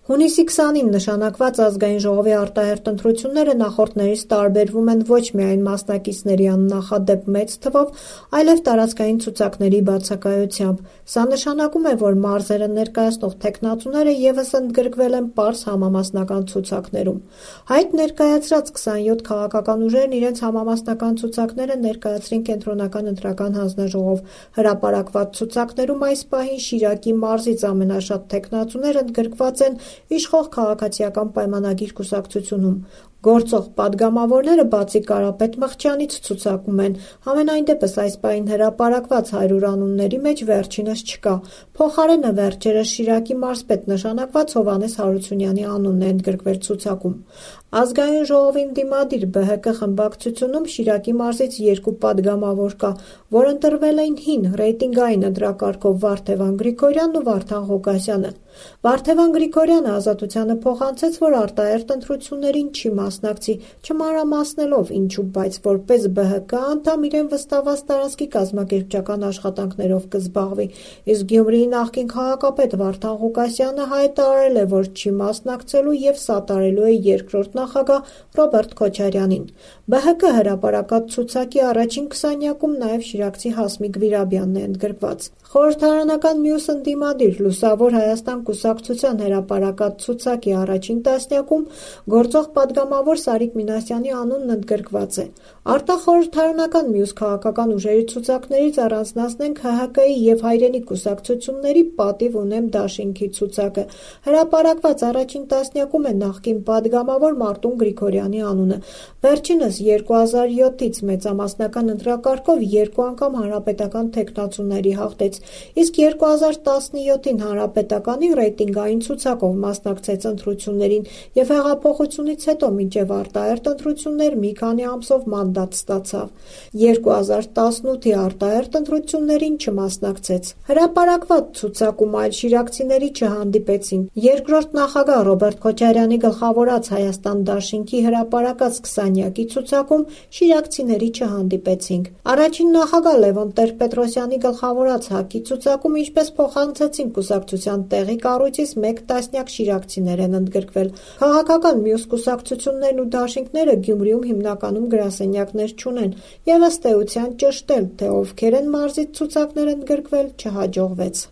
Հունիսի 20-ին նշանակված ազգային ժողովի արտահերթ ընտրությունները նախորդներից տարբերվում են ոչ միայն մասնակիցների աննախադեպ մեծ թվով, այլև տարածքային ցուցակների բացակայությամբ։ Սա նշանակում է, որ մարզերը ներկայացնող թեկնածուները ևս ընդգրկվել են պարզ համամասնական ցուցակներում։ Հայտ ներկայացրած 27 քաղաքական ուժերն իրենց համամասնական ցուցակները ներկայացրին Կենտրոնական ընտրական հանձնաժողով։ Հրապարակված ցուցակներում այս պահին Շիրակի մարզից ամենաշատ թեկնածուներ ընդգրկված են իշխող քաղաքացիական պայմանագիր կուսակցությունում։ Գործող պատգամավորները բացի Կարապետ Մղջյանից ցուցակում են։ Համենայնդեպս այս պահին հրապարակված 100 անունների մեջ վերջինս չկա։ Փոխարենը վերջերս Շիրակի մարզպետ նշանակված Հովհաննես Հարությունյանի անունն է ընդգրկվել ցուցակում։ Ազգային ժողովին դիմադիր ԲՀԿ խմբակցությունում Շիրակի մարզից 2 պատգամավոր կա, որ ընտրվել էին հին ռեյտինգային ընտրակարգով Վարդևան Գրիգորյանն ու Վարդան Ղուկասյանը։ Վարդևան Գրիգորյանը Ազատությանը փոխանցեց, որ արտահերթ ընտրություններին չի մասնակցի, չմանրամասնելով ինչու, բայց որպես ԲՀԿ անդամ իրեն վստահված տարածքի կազմակերպչական աշխատանքներով կզբաղվի, իսկ Գյումրիի նախկին քաղաքապետ Վարդան Ղուկասյանը հայտարարել է, որ չի մասնակցելու եւ սատարելու է երկրորդ նախագահ Ռոբերտ Քոչարյանին։ ԲՀԿ հրապարակած ցուցակի առաջին 20-յակում նաեւ շիրակցի Հասմիկ Վիրաբյանն է ընդգրկված։ Խորհրդարանական մյուս ընդդիմադիր Լուսավոր Հայաստան կուսակցության հրապարակած ցուցակի առաջին տասնյակում գործող պատգամավոր Սարիկ Մինասյանի անունն ընդգրկված է։ Արտախորհրդարանական մյուս քաղաքական ուժերի ցուցակներից առանձնացնենք ՀՀԿ-ի եւ Հայրենի կուսակցությունների Պատիվ ունեմ դաշինքի ցուցակը։ Հրապարակված առաջին տասնյակում է նախկին պատգամավոր Մարտուն Գրիգորյանի անունը։ Վերջինս 2007-ից մեծամասնական ընտրակարգով 2 անգամ հանրապետական թեկնածուների հաղթեց, իսկ 2017-ին հանրապետականի ռեյտինգային ցուցակով մասնակցեց ընտրություններին եւ հեղափոխությունից հետո մինչեւ արտահերթ ընտրություններ մի քանի ամսով մանդատ ստացավ։ 2018-ի արտահերթ ընտրություններին չմասնակցեց։ Հրապարակված ցուցակում այլ շիրակցիների չհանդիպեցին։ Երկրորդ նախագահ Ռոբերտ Քոչարյանի գլխավորած Հայաստան դաշինքի հրապարակած 20-յակի ցուցակում շիրակցիների չհանդիպեցինք։ Առաջին նախագահ Լևոն Տեր-Պետրոսյանի գլխավորած ՀԱԿ-ի ցուցակում ինչպես փոխանցեցին կուսակցության տեղի կառույցից 1 տասնյակ շիրակցիներ են ընդգրկվել։ Քաղաքական մյուս կուսակցություններն ու դաշինքները Գյումրիում հիմնականում գրասենյակներ չունեն եւ ըստ էության ճշտել, թե ովքեր են մարզից ցուցակներ ընդգրկվել, չհաջողվեց։